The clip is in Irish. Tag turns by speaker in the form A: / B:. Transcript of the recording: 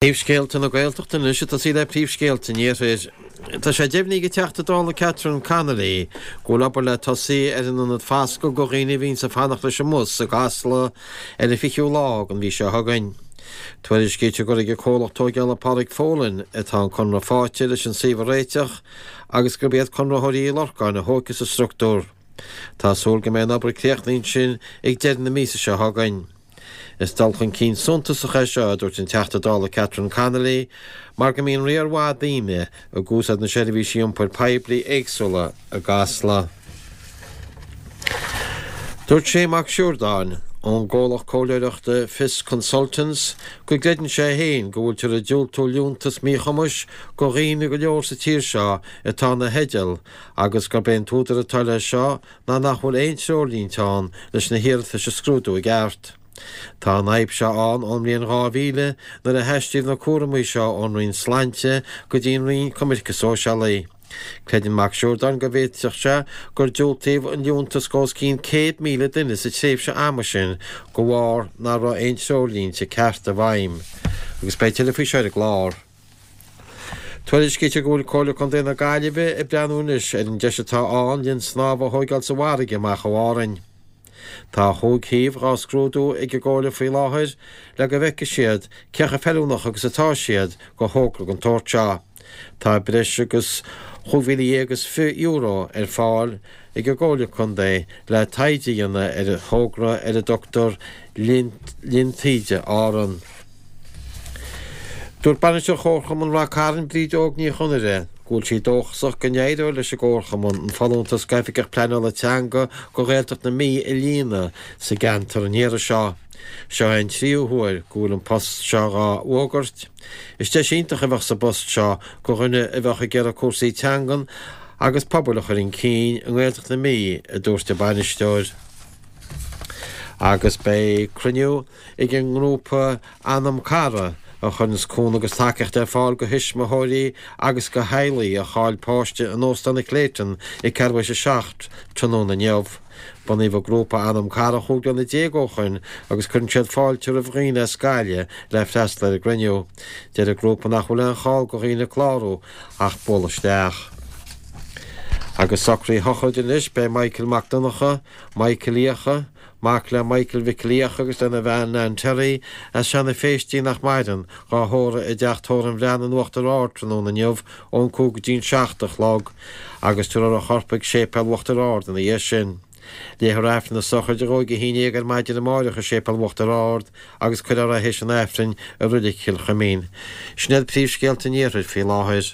A: Príomhscéalta na Gaeltachta anois ag tosaí le príomhscéalta an Iarthair. Tá sé deimhnithe ag an Teachta Dála Catherine Connolly go bhfuil obair le tosaí ar an ionad foscaidh do dhaoine a bhíonns ag fanacht leis an mbus i gCasla ar an 20ú lá den mhí seo chugainn. Tuairiscítear gur ag an comhlacht tóigeála Pádraig Folan atá an conradh faighte leis an suíomh a réiteach agus gurb iad Conraitheoirí Uí Lorcáin a thógfas an structúr. Tá súil go mbeidh an obair críochnaithe ansin ag deireadh na míosa seo chugainn. Is dul chun cinn suntasach é seo, a dúirt an Teachta Dála Catherine Connolly, mar go mbíonn riar mhaith daoine ag úsáid na seirbhísí iompair poiblí éagsúla i gCasla. Dúirt Shane Mac Siúrdáin, ón gcomhlacht comhairleoireachta Fios Consultants, go gcreideann sé féin go bhfuiltear ag diúltú liúntas míchumais go dhaoine go leor sa tír seo atá ina theideal agus gurb é an t-údar atá leis seo ná nach bhfuil aon treoirlínte ann leis na hiarratais a scrúdú i gceart. Tá an fhadhb seo ann ón mbliain 2000 nuair a haistríodh na cúramaí seo ón Roinn Sláinte go dtí an Roinn Coimirce Sóisialaí. Creideann Mac Siúrdáin go bhféadfadh sé gur diúltaíodh an liúntas go os cionn 100,000 duine sa tréimhse ama sin de bharr nach raibh aon treoirlínte cearta i bhfeidhm. Agus beidh tuilleadh faoi seo ar an gclár. Tuairiscítear go bhfuil Comhairle Contae na Gaillimhe ag breathnú anois ar an deis atá ann linn snámha a thóigeáil sa bhfarraige amach ó Árainn. Tá chúig shuíomh dhá scrúdú ag an gComhairle faoi láthair le go bhfeicfidh siad cé chomh feiliúnach agus atá siad go thogra den tsórt seo. Tá breis agus €25,000 ar fáil ag an gComhairle Contae le taighde a dhéanamh ar an thogra ar a dtugtar Linn Taoide Árann. Dúirt Bainisteoir Chomharchumann Rath Cairn, Bríd Óg Ní Chonaire, go bhfuil sí dóchasach go n-éireoidh leis an gComharchumann an folúntas d'Oifigeach Pleanála Teanga go Ghaeltacht na Mí a líonadh sa gceantar an iarraidh seo. Seo é an tríú huair go bhfuil an post seo dhá fhógairt. Is deis iontach a bheadh sa bpost seo go dhuine a bheadh ag iarraidh cúrsaí teangan agus pobail a chur chun cinn i nGaeltacht na Mí, a dúirt an bainisteoir. Agus beidh cruinniú ag an ngrúpa Anam Cara a chuireanns cúnamh agus tacaíocht ar fáil go thuismitheoirí agus go theaghlaigh a chaill páiste in Óstán an Clayton ag ceathrú théis 7 tráthnóna inniu. Bunaíodh an grúpa Anam Cara chúig bliana déag ó shoin agus cuireann siad fáilte roimh dhaoine as Gaillimh le freastal ar an gcruinniú. Deir an grúpa nach bhfuil aon chall go dhaoine clárú ach bualadh isteach. Agus socruithe sochraide anois, beidh Michael Mac Donncha, Michael Fhiacha, Mac le Michael Mhicil Fhiacha agus lena bhean Nan Terry, as Seanadh Phéistí nach maireann, dhá thórramh i dTeach Tórraimh an Bhreathnaigh in Uachtar Ard tráthnóna inniu ón 5 go dtí'n 7 a chlog agus tabharfar a chorp ag Séipéal Uachtar Ard ina dhiaidh sin. Léifear Aifreann na sochraide dhó ag 11 ar maidin amáireach i Séipéal Uachtar Ard agus cuirfear é théis an Aifrinn i Roilig Chill Chuimín. Sin iad príomhscéalta an Iarthair faoi láthair.